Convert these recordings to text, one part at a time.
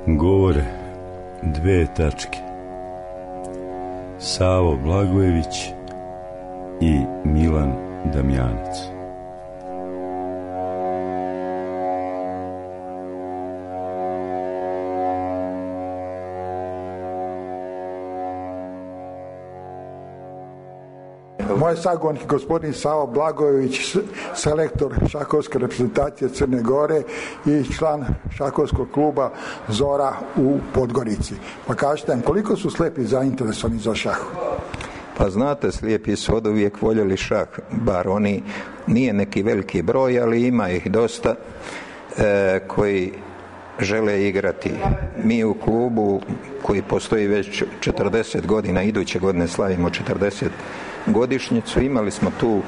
Gore, 2 tačke. Savo Blagojević i Milan Damjanac. Moj sagovornik je gospodin Savo Blagojević, selektor šahovske reprezentacije Crne Gore i član šahovskog kluba Zora u Podgorici. Pa kažete nam, koliko su slijepi zainteresovani za šah? Pa znate, slijepi su oduvijek voljeli šah, bar oni, nije neki veliki broj, ali ima ih dosta koji žele igrati. Mi u klubu koji postoji već 40 godina, iduće godine slavimo 40 godišnjicu, imali smo tu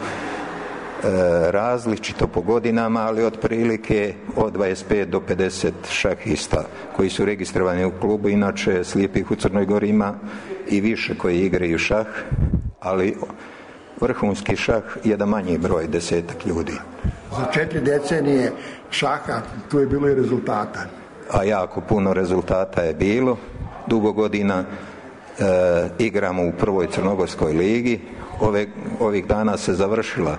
različito po godinama, ali otprilike od 25 do 50 šahista koji su registrovani u klubu. Inače slijepih u Crnoj Gori ima i više koji igraju šah, ali vrhunski šah je da manji broj, 10-ak ljudi. Za 4 decenije šaha tu je bilo i rezultata. A jako puno rezultata je bilo. Dugo godina igramo u prvoj crnogorskoj ligi. Ovih dana se završila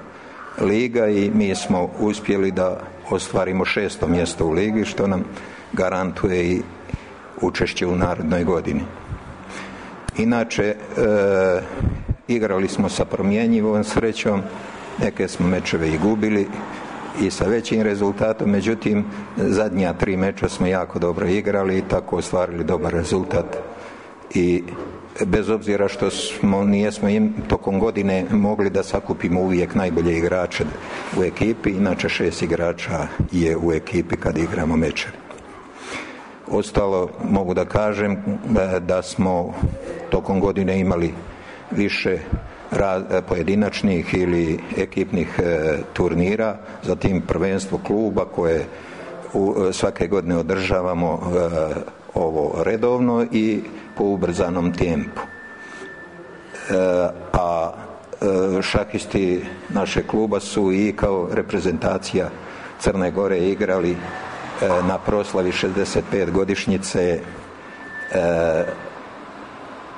liga i mi smo uspjeli da ostvarimo 6. mjesto u ligi, što nam garantuje i učešće u narednoj godini. Inače, igrali smo sa promjenjivom srećom, neke smo mečeve i gubili i sa većim rezultatom, međutim zadnja 3 meča smo jako dobro igrali i tako ostvarili dobar rezultat. I bez obzira što nijesmo tokom godine mogli da sakupimo uvijek najbolje igrače u ekipi, inače 6 igrača je u ekipi kad igramo mečeve. Ostalo mogu da kažem da smo tokom godine imali više pojedinačnih ili ekipnih turnira, zatim prvenstvo kluba koje svake godine održavamo ovo redovno i po ubrzanom tempu. A šahisti našeg kluba su i kao reprezentacija Crne Gore igrali na proslavi 65 godišnjice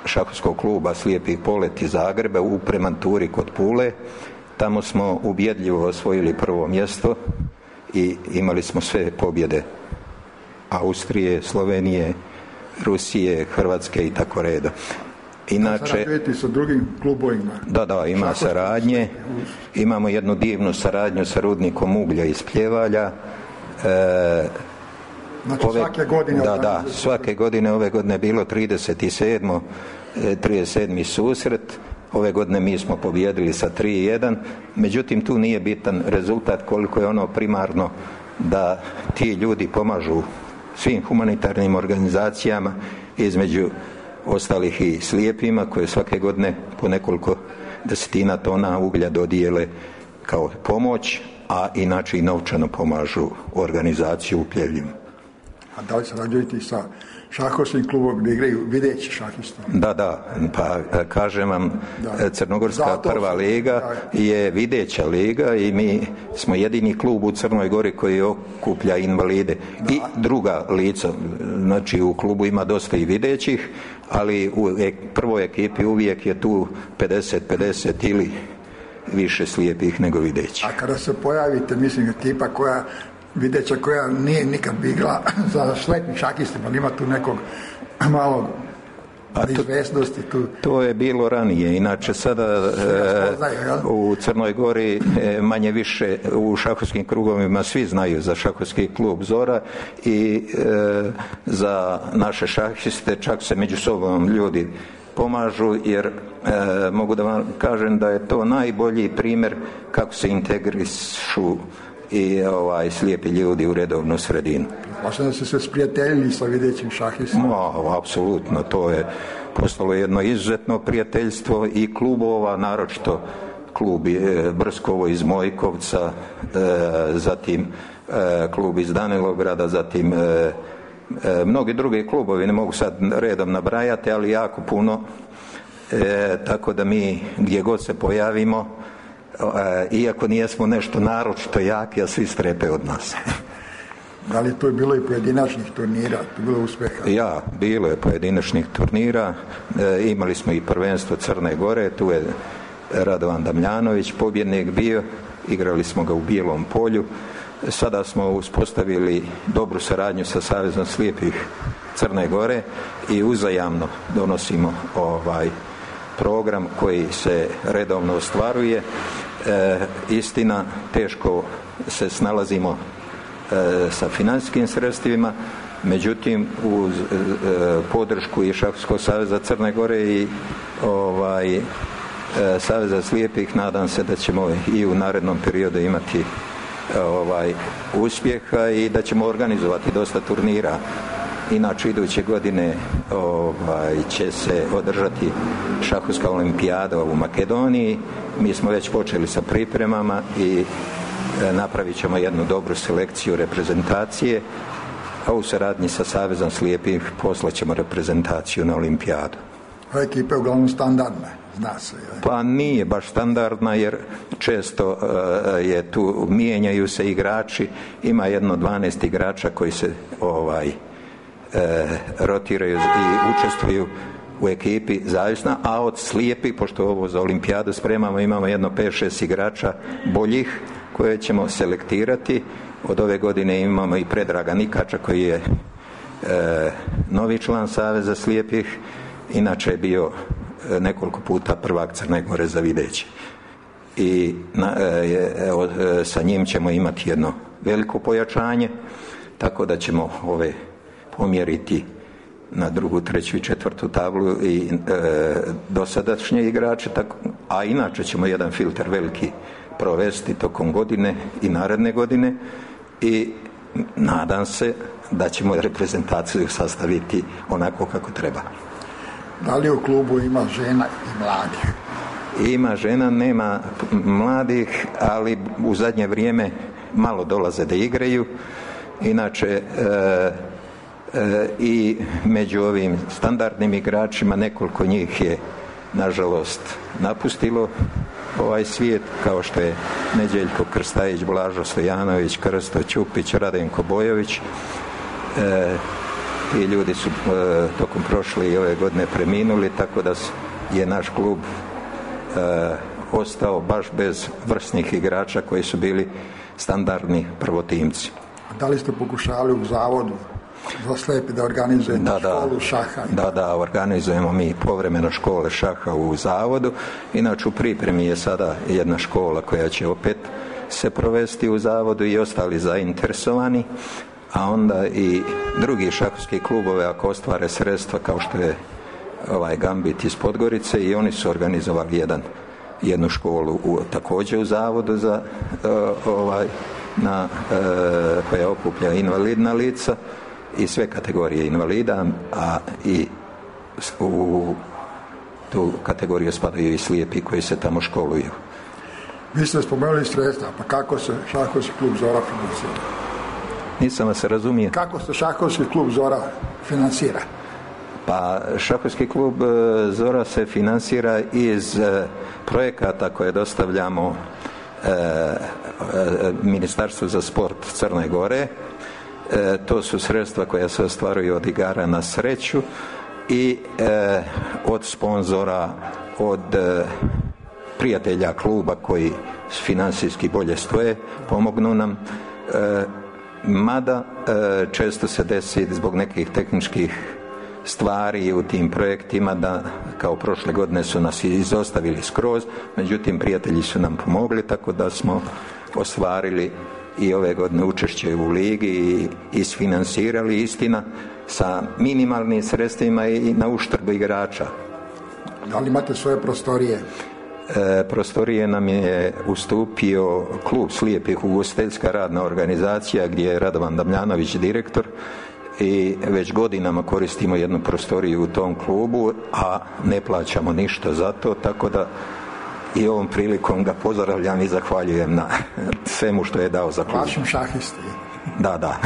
šahovskog kluba Slijepi polet iz Zagreba u Premanturi kod Pule. Tamo smo ubjedljivo osvojili prvo mjesto i imali smo sve pobjede Austrije, Slovenije, Rusije, Hrvatske i tako reda. Inače, sarađujete sa drugim klubovima? Da, ima saradnje. Imamo jednu divnu saradnju sa Rudnikom uglja iz Pljevalja. Znači svake godine? Da, svake godine. Ove godine je bilo 37. susret. Ove godine mi smo pobijedili sa 3-1. Međutim, tu nije bitan rezultat koliko je ono primarno da ti ljudi pomažu svim humanitarnim organizacijama, između ostalih i slijepima koje svake godine po nekoliko desetina tona uglja dodijele kao pomoć, a inače i novčano pomažu organizaciju u Pljevljima. A da li sarađujete sa šahovskim klubom gdje igraju videći šahisti? Da, pa kažem vam, Crnogorska prva liga je videća liga i mi smo jedini klub u Crnoj Gori koji okuplja invalide i druga lica. Znači u klubu ima dosta i videćih, ali u prvoj ekipi uvijek je tu 50-50 ili više slijepih nego videćih. A kada se pojavite, mislim, ekipa koja videća koja nije nikad bigla za sletnim šakistima, ima tu nekog malog neizvesnosti tu. To je bilo ranije, inače sada u Crnoj Gori manje više u šahovskim krugovima svi znaju za šahovski klub Zora i za naše šahiste čak se među sobom ljudi pomažu, jer mogu da vam kažem da je to najbolji primjer kako se integrišu i slijepi ljudi u redovnu sredinu. Važno da ste se sprijateljili sa videćim šahistima? Apsolutno, to je postalo jedno izuzetno prijateljstvo i klubova, naročito klub Brskovo iz Mojkovca, zatim klub iz Danilograda, zatim mnogi drugi klubovi, ne mogu sad redom nabrajati, ali jako puno, tako da mi gdje god se pojavimo, iako nijesmo nešto naročito jaki, a svi strepe od nas. Da li to je bilo i pojedinačnih turnira, to je bilo uspjeha? Ja, bilo je pojedinačnih turnira, imali smo i prvenstvo Crne Gore, tu je Radovan Damljanović pobjednik bio, igrali smo ga u Bijelom Polju. Sada smo uspostavili dobru saradnju sa Savezom slijepih Crne Gore i uzajamno donosimo program koji se redovno ostvaruje. Istina, teško se snalazimo sa financijskim sredstvima, međutim uz podršku i Šahovskog saveza Crne Gore i Saveza slijepih nadam se da ćemo i u narednom periodu imati uspjeha i da ćemo organizovati dosta turnira. Inače iduće godine će se održati šahovska olimpijada u Makedoniji. Mi smo već počeli sa pripremama i napravit ćemo jednu dobru selekciju reprezentacije, a u suradnji sa Savezom slijepih poslat ćemo reprezentaciju na olimpijadu. Ova ekipa je uglavnom standardna, zna se. Pa nije baš standardna jer često je tu, mijenjaju se igrači, ima jedno 12 igrača koji se rotiraju i učestvuju u ekipi zavisno, a od slijepi, pošto ovo za olimpijadu spremamo, imamo jedno 5-6 igrača boljih koje ćemo selektirati. Od ove godine imamo i Predraga Nikača koji je novi član Saveza slijepih, inače je bio nekoliko puta prvak Crne Gore za videće. I sa njim ćemo imati jedno veliko pojačanje, tako da ćemo ove pomjeriti na drugu, treću i četvrtu tablu i dosadašnje igrače, a inače ćemo jedan filter veliki provesti tokom godine i naredne godine i nadam se da ćemo reprezentaciju sastaviti onako kako treba. Da li u klubu ima žena i mladih? Ima žena, nema mladih, ali u zadnje vrijeme malo dolaze da igraju. Inače i među ovim standardnim igračima nekoliko njih je nažalost napustilo ovaj svijet, kao što je Neđeljko Krstajić, Blažo Stojanović, Krsto Ćupić, Radenko Bojović. Ti ljudi su tokom prošle i ove godine preminuli, tako da je naš klub ostao baš bez vrsnih igrača koji su bili standardni prvotimci. Da li ste pokušali u zavodu za slijepe da organizujete školu šaha? Da, organizujemo mi povremeno škole šaha u zavodu. Inače u pripremi je sada jedna škola koja će opet se provesti u zavodu i ostali zainteresovani, a onda i drugi šahovski klubove ako ostvare sredstva kao što je Gambit iz Podgorice, i oni su organizovali jednu školu također u zavodu za koja okuplja invalidna lica i sve kategorije invalida, a i u tu kategoriju spadaju i slijepi koji se tamo školuju. Vi ste spomenuli sredstva, pa kako se šahovski klub Zora financira? Nisam vas razumio. Kako se šahovski klub Zora financira? Pa šahovski klub Zora se financira iz projekata koje dostavljamo Ministarstvu za sport Crne Gore. To su sredstva koja se ostvaruju od igara na sreću i od sponzora, od prijatelja kluba koji financijski bolje stoje, pomognu nam. Mada često se desi zbog nekih tehničkih stvari u tim projektima da kao prošle godine su nas izostavili skroz, međutim prijatelji su nam pomogli, tako da smo ostvarili i ove godine učešće u ligi i isfinansirali, istina sa minimalnim sredstvima i na uštrb igrača. Da li imate svoje prostorije? Prostorije nam je ustupio klub slijepih, ugostiteljska radna organizacija gdje je Radovan Damljanović direktor, i već godinama koristimo jednu prostoriju u tom klubu, a ne plaćamo ništa za to, tako da i ovom prilikom ga pozdravljam i zahvaljujem na svemu što je dao za klub. Vašim šahisti. Da.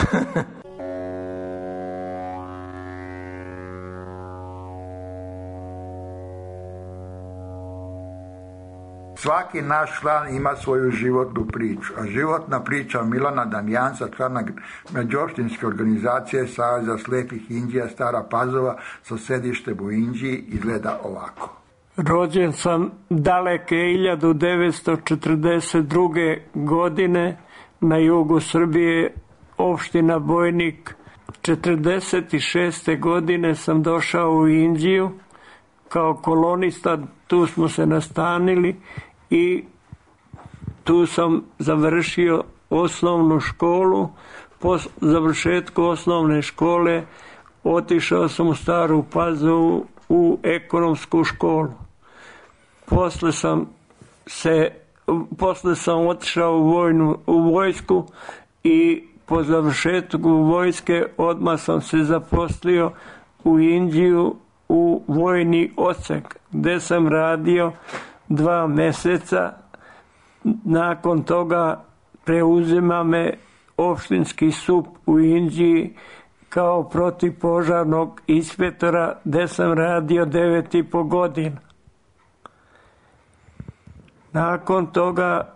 Svaki naš član ima svoju životnu priču, a životna priča Milana Damjanca, člana međuopštinske organizacije Saveza slepih Inđija Stara Pazova sa sedištem u Inđiji izgleda ovako. Rođen sam daleke 1942. godine na jugu Srbije, opština Bojnik. 1946. godine sam došao u Inđiju kao kolonista, tu smo se nastanili i tu sam završio osnovnu školu. Po završetku osnovne škole otišao sam u Staru Pazovu u ekonomsku školu. Posle sam otišao u vojsku i po završetku vojske odmah sam se zaposlio u Inđiju u vojni odsek, gde sam radio 2 meseca. Nakon toga preuzima me opštinski SUP u Inđiji kao protivpožarnog inspektora, gde sam radio 9,5 godina. Nakon toga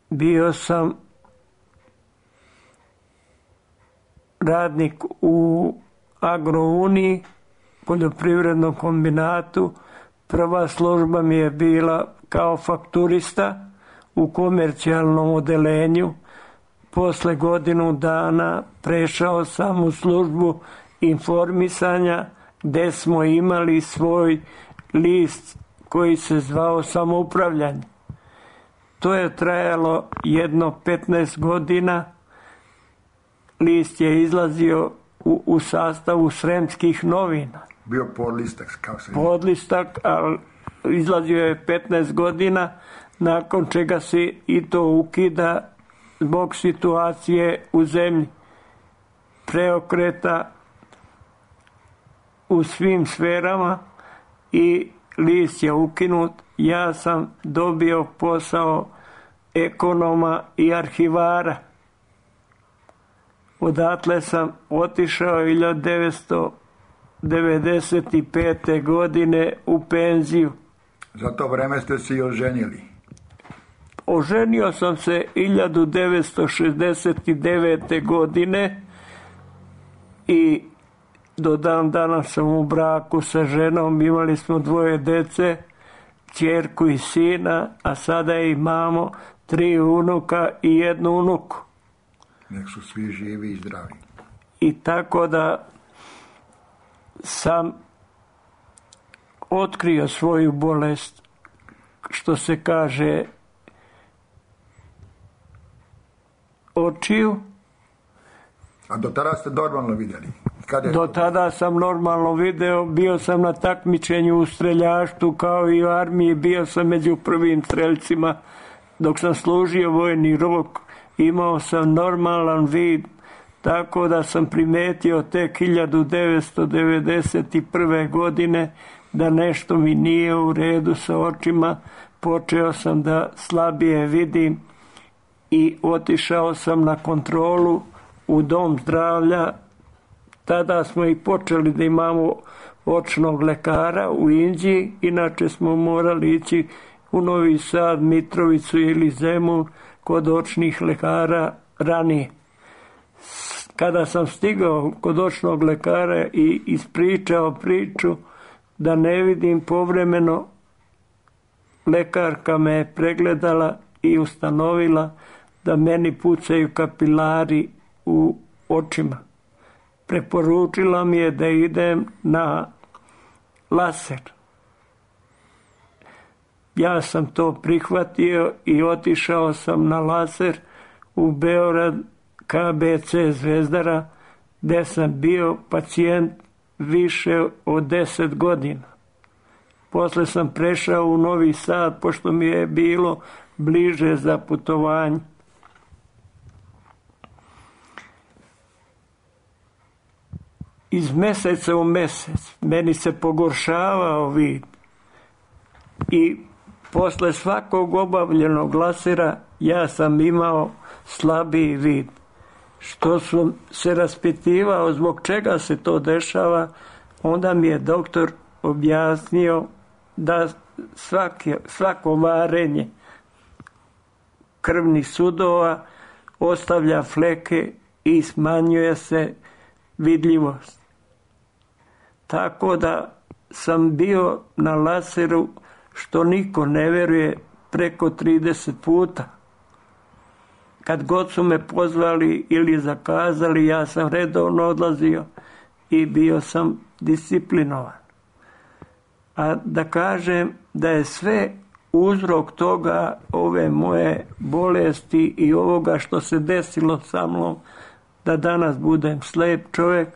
bio sam radnik u Agrouniji, poljoprivrednom kombinatu. Prva služba mi je bila kao fakturista u komercijalnom odelenju. Posle godinu dana prešao sam u službu informisanja, gde smo imali svoj list koji se zvao Samoupravljanje. To je trajalo jedno 15 godina. List je izlazio u sastavu Sremskih novina. Bio podlistak, kao se... Podlistak, ali izlazio je 15 godina, nakon čega se i to ukida zbog situacije u zemlji. Preokreta u svim sferama i list je ukinut. Ja sam dobio posao ekonoma i arhivara. Odatle sam otišao 1995. godine u penziju. Za to vreme ste se i oženili? Oženio sam se 1969. godine i do dan danas sam u braku sa ženom. Imali smo 2 dece, ćerku i sina, a sada imamo 3 unuka i 1 unuku. Nek su svi živi i zdravi. I tako da sam otkrio svoju bolest, što se kaže, očiju. A do tada ste normalno vidjeli? Do tada sam normalno video, bio sam na takmičenju u streljaštvu kao i u armiji, bio sam među prvim streljcima. Dok sam služio vojni rok, imao sam normalan vid, tako da sam primetio tek 1991. godine da nešto mi nije u redu sa očima. Počeo sam da slabije vidim i otišao sam na kontrolu u dom zdravlja. Tada smo i počeli da imamo očnog lekara u Inđiji, inače smo morali ići u Novi Sad, Mitrovicu ili Zemun kod očnih lekara ranije. Kada sam stigao kod očnog lekara i ispričao priču da ne vidim povremeno, lekarka me je pregledala i ustanovila da meni pucaju kapilari u očima. Preporučila mi je da idem na laser. Ja sam to prihvatio i otišao sam na laser u Beograd, KBC Zvezdara, gde sam bio pacijent više od 10 godina. Posle sam prešao u Novi Sad, pošto mi je bilo bliže za putovanje. Iz meseca u mesec meni se pogoršavao vid i posle svakog obavljenog lasera ja sam imao slabiji vid. Što sam se raspitivao zbog čega se to dešava, onda mi je doktor objasnio da svako varenje krvnih sudova ostavlja fleke i smanjuje se vidljivost. Tako da sam bio na laseru, što niko ne veruje, preko 30 puta. Kad god su me pozvali ili zakazali, ja sam redovno odlazio i bio sam disciplinovan. A da kažem da je sve uzrok toga, ove moje bolesti i ovoga što se desilo sa mnom, da danas budem slep čovjek,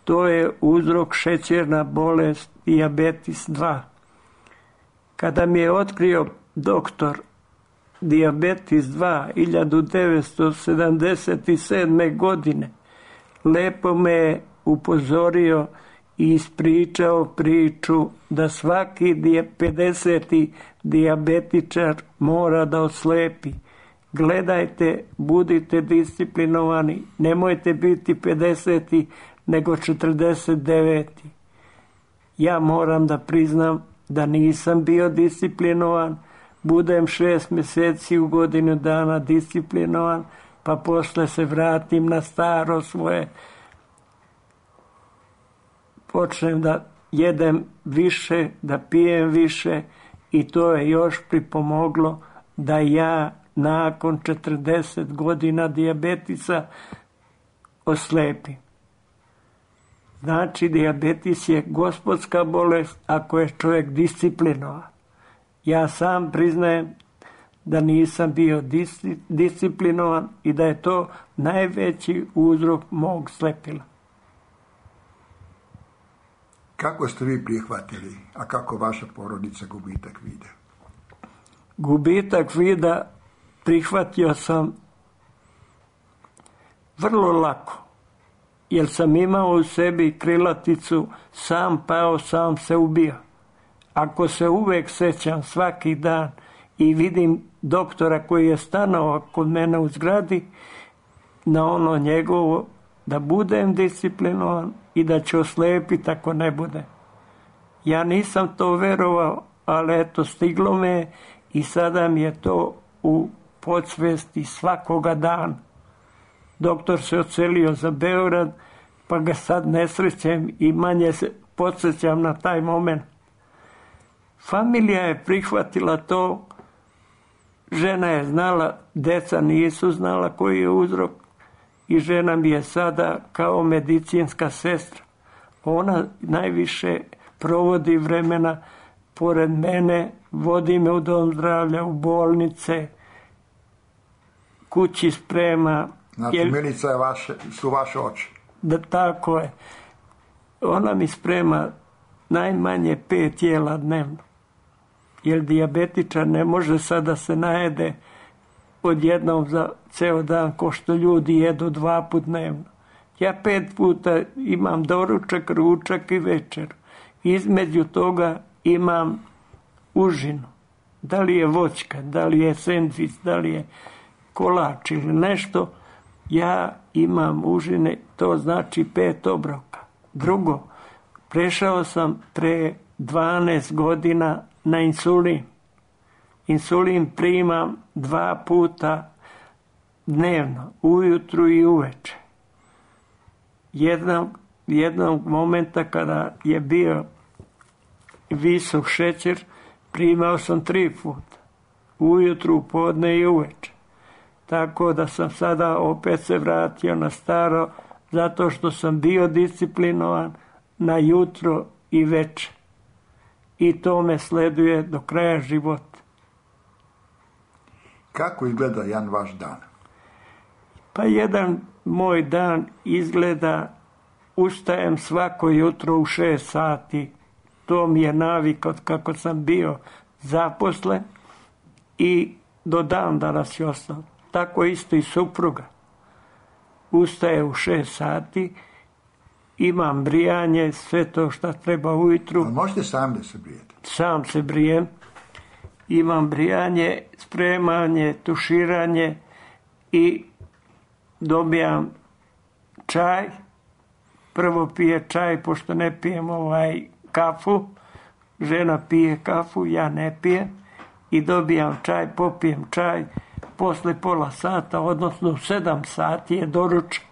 to je uzrok šećerna bolest, dijabetes 2. Kada mi je otkrio doktor dijabetes 2 1977. godine, lepo me je upozorio i ispričao priču da svaki 50. dijabetičar mora da oslepi. Gledajte, budite disciplinovani, nemojte biti 50. nego 49. Ja moram da priznam da nisam bio disciplinovan, budem 6 mjeseci u godinu dana disciplinovan, pa posle se vratim na staro svoje, počnem da jedem više, da pijem više i to je još pripomoglo da ja nakon 40 godina dijabetisa oslepim. Znači, dijabetes je gospodska bolest ako je čovjek disciplinovan. Ja sam priznajem da nisam bio disciplinovan i da je to najveći uzrok mog slepila. Kako ste vi prihvatili, a kako vaša porodica gubitak vida? Gubitak vida prihvatio sam vrlo lako, jer sam imao u sebi krilaticu sam pao, sam se ubio. Ako se uvek sećam svaki dan i vidim doktora koji je stanovao kod mene u zgradi, na ono njegovo, da budem disciplinovan i da ću oslepiti ako ne bude. Ja nisam to verovao, ali eto, stiglo me i sada mi je to u podsvesti svakoga dana. Doktor se odselio za Beograd, pa ga sad ne srećem i manje se podsjećam na taj moment. Familija je prihvatila to, žena je znala, deca nisu znala koji je uzrok i žena mi je sada kao medicinska sestra. Ona najviše provodi vremena pored mene, vodi me u dom zdravlja, u bolnice, kući sprema. Znači, Milica su vaše oči. Da, tako je. Ona mi sprema najmanje 5 jela dnevno. Jer dijabetičar ne može sad da se najede odjednom za ceo dan ko što ljudi jedu 2 puta dnevno. Ja 5 puta imam doručak, ručak i večer. Između toga imam užinu. Da li je voćka, da li je sendvič, da li je kolač ili nešto, ja imam užine, to znači 5 obroka. Drugo, prešao sam pre 12 godina na insulin. Insulin primam 2 puta dnevno, ujutru i uveče. Jednog momenta kada je bio visok šećer, primao sam 3 puta. Ujutru, podne i uveče. Tako da sam sada opet se vratio na staro, zato što sam bio disciplinovan na jutro i veče. I to me sleduje do kraja života. Kako izgleda jedan vaš dan? Pa jedan moj dan izgleda, ustajem svako jutro u 6 sati. To mi je navik od kako sam bio zaposlen i do dan danas je ostao. Tako isto i supruga. Ustaje u 6 sati, imam brijanje, sve to što treba ujutru. Ali možete sami da se brijete? Sam se brijem. Imam brijanje, spremanje, tuširanje i dobijam čaj. Prvo pije čaj, pošto ne pijem kafu. žena pije kafu, ja ne pijem i dobijam čaj, popijem čaj, posle pola sata, odnosno 7 sati je doručak.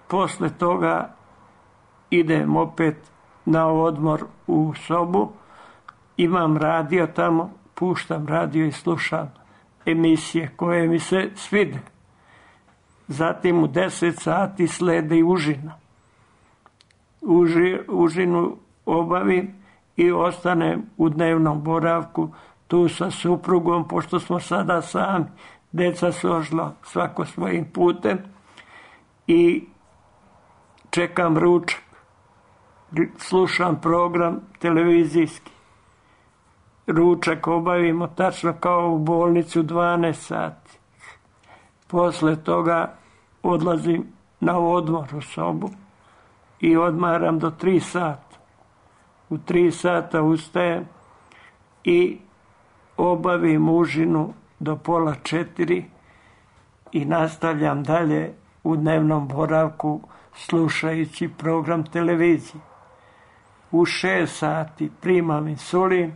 Posle toga idem opet na odmor u sobu, imam radio tamo, puštam radio i slušam emisije koje mi se svide. Zatim u 10 sati sledi užina. Užinu obavim i ostanem u dnevnom boravku tu sa suprugom, pošto smo sada sami, deca su ošla svako svojim putem i čekam ručak. Slušam program televizijski. Ručak obavimo tačno kao u bolnici u 12 sati. Posle toga odlazim na odmor u sobu i odmaram do 3 sata. U 3 sata ustajem i obavim užinu do pola 4 i nastavljam dalje u dnevnom boravku slušajući program televizije. U 6 sati primam insulin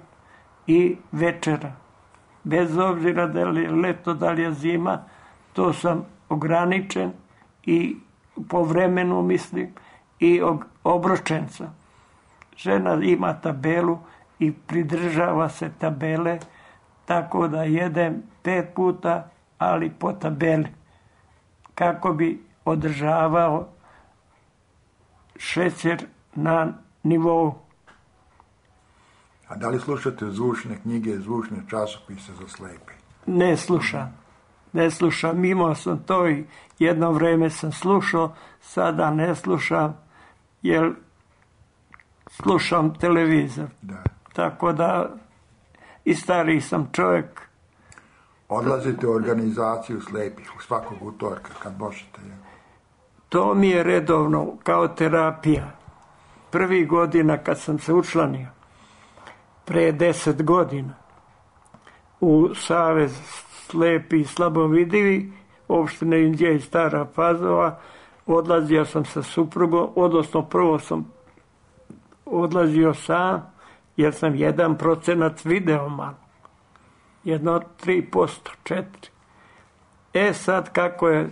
i večera. Bez obzira da li je leto, da li je zima, to sam ograničen i po vremenu mislim i obročen sam. Žena ima tabelu i pridržava se tabele, tako da jedem 5 puta, ali po tabeli, kako bi održavao šećer na nivou. A da li slušate zvučne knjige, zvučne časopise za slepe? Ne slušam. Imao sam to i jedno vreme sam slušao, sada ne slušam, jer slušam televizor. Da. Tako da i stariji sam čovjek. Odlazite u organizaciju slepih u svakog utorka kad možete? To mi je redovno kao terapija. Prvih godina kad sam se učlanio, pre 10 godina, u Savez slepi i slabovidivi, opštine Inđija i Stara Pazova, odlazio sam sa suprugom, odnosno prvo sam odlazio sam, jer sam 1% video malo. 3%, 4%. Sad kako je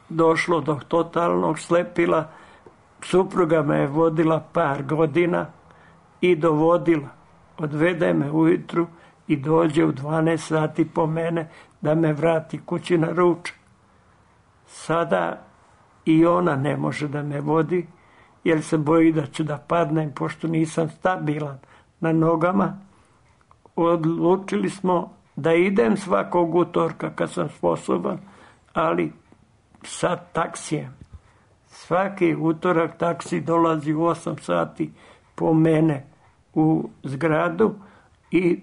došlo do totalnog slepila, supruga me je vodila par godina i dovodila. Odvede me ujutru i dođe u 12 sati po mene da me vrati kući na ručak. Sada i ona ne može da me vodi, jer se boji da ću da padnem, pošto nisam stabilan na nogama. Odlučili smo da idem svakog utorka kad sam sposoban, ali sa taksijem. Svaki utorak taksi dolazi u 8 sati po mene u zgradu i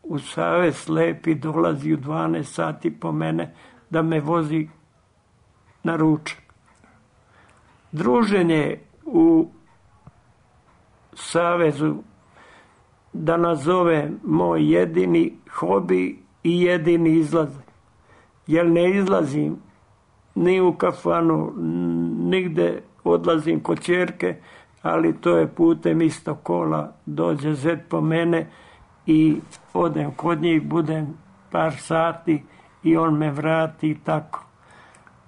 u Savez slepi dolazi u 12 sati po mene da me vozi na ručak. Druženje u Savezu, da nazovem moj jedini hobi i jedini izlazak. Jer ne izlazim ni u kafanu, nigde, odlazim kod ćerke, ali to je putem isto kola. Dođe zet po mene i odem kod njih, budem par sati i on me vrati i tako.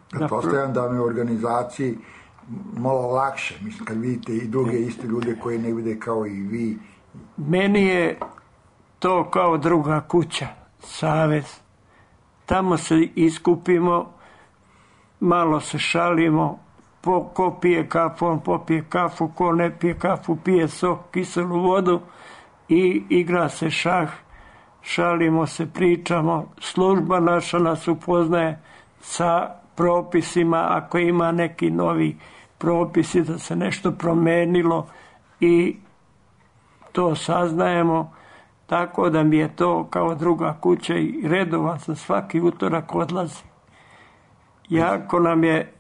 Pretpostavljam da vam je u organizaciji malo lakše, mislim, kad vidite i druge iste ljude koji ne vide kao i vi. Meni je to kao druga kuća, Savez. Tamo se iskupimo, malo se šalimo, ko pije kafu, on popije kafu, ko ne pije kafu, pije sok, kiselu vodu i igra se šah, šalimo se, pričamo. Služba naša nas upoznaje sa propisima, ako ima neki novi propisi da se nešto promenilo i to saznajemo, tako da mi je to kao druga kuća i redovan sam svaki utorak odlazi. Jako nam je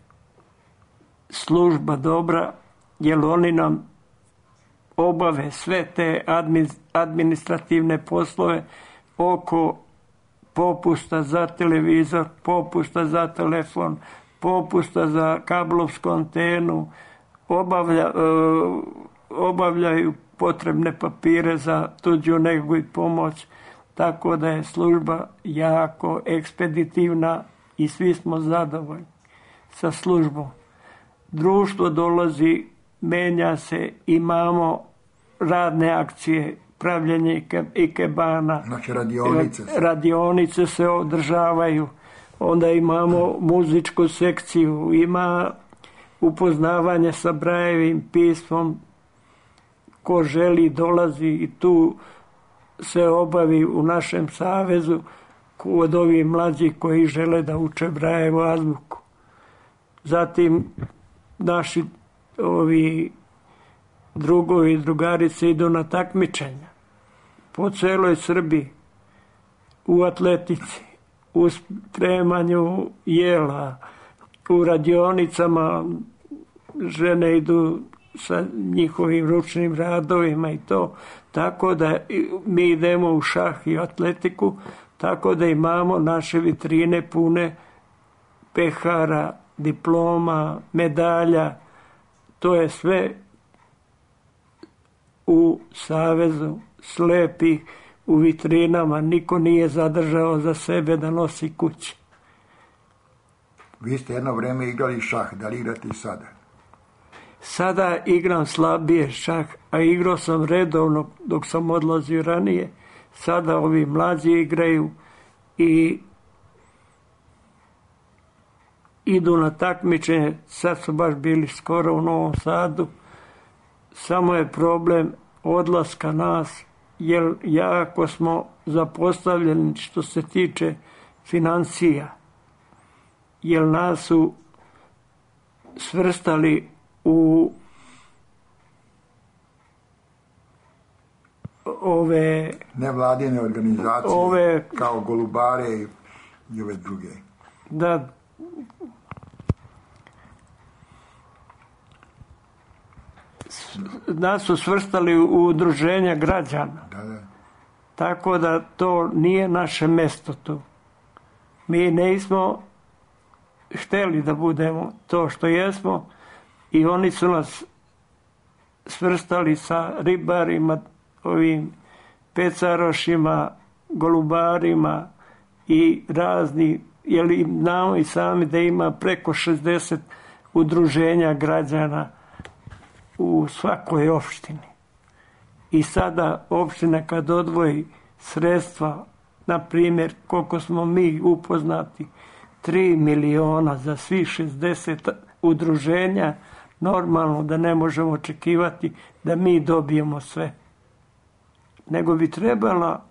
služba dobra, jer oni nam obave sve te administrativne poslove oko popusta za televizor, popusta za telefon, popusta za kablovsku antenu, obavljaju potrebne papire za tuđu negu i pomoć, tako da je služba jako ekspeditivna i svi smo zadovoljni sa službom. Društvo dolazi, menja se, imamo radne akcije, pravljenje ikebana, znači radionice se održavaju, onda imamo muzičku sekciju, ima upoznavanje sa Brajevim pismom, ko želi dolazi i tu se obavi u našem savezu od ovih mlađih koji žele da uče Brajevu azbuku. Zatim naši ovi drugovi i drugarice idu na takmičenja po celoj Srbiji, u atletici, u spremanju jela, u radionicama, žene idu sa njihovim ručnim radovima i to, tako da mi idemo u šah i atletiku, tako da imamo naše vitrine pune pehara, diploma, medalja, to je sve u Savezu slepih, u vitrinama, niko nije zadržao za sebe da nosi kući. Vi ste jedno vreme igrali šah, da li igrate i sada? Sada igram slabije šah, a igrao sam redovno dok sam odlazio ranije. Sada ovi mlađi igraju i idu na takmičenje. Sad su baš bili skoro u Novom Sadu. Samo je problem odlaska nas, jer jako smo zapostavljeni što se tiče financija. Jer nas su svrstali u ove nevladine organizacije, kao Golubare i ove druge. Da. Nas su svrstali u udruženja građana. Da. Tako da to nije naše mesto tu. Mi nismo hteli da budemo to što jesmo i oni su nas svrstali sa ribarima, ovim pecarošima, golubarima i razni, jer znamo i sami da ima preko 60 udruženja građana u svakoj opštini. I sada opština kad odvoji sredstva, na primjer, koliko smo mi upoznati, 3 miliona za svih 60 udruženja, normalno da ne možemo očekivati da mi dobijemo sve. Nego bi trebala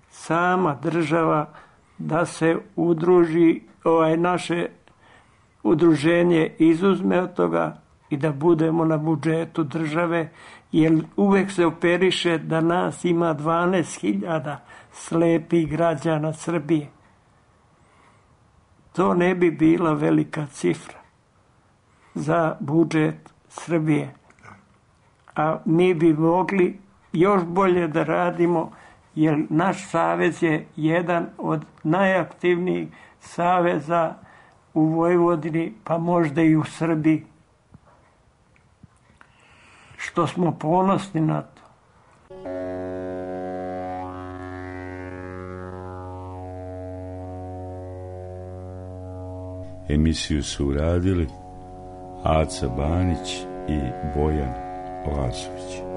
sama država da se udruži, naše udruženje izuzme od toga i da budemo na budžetu države, jer uvek se operiše da nas ima 12.000 slepih građana Srbije. To ne bi bila velika cifra za budžet Srbije. A mi bi mogli još bolje da radimo, jer naš savez je jedan od najaktivnijih saveza u Vojvodini, pa možda i u Srbiji. Što smo ponosni na to. Emisiju su uradili Aca Banić i Bojan Lazović.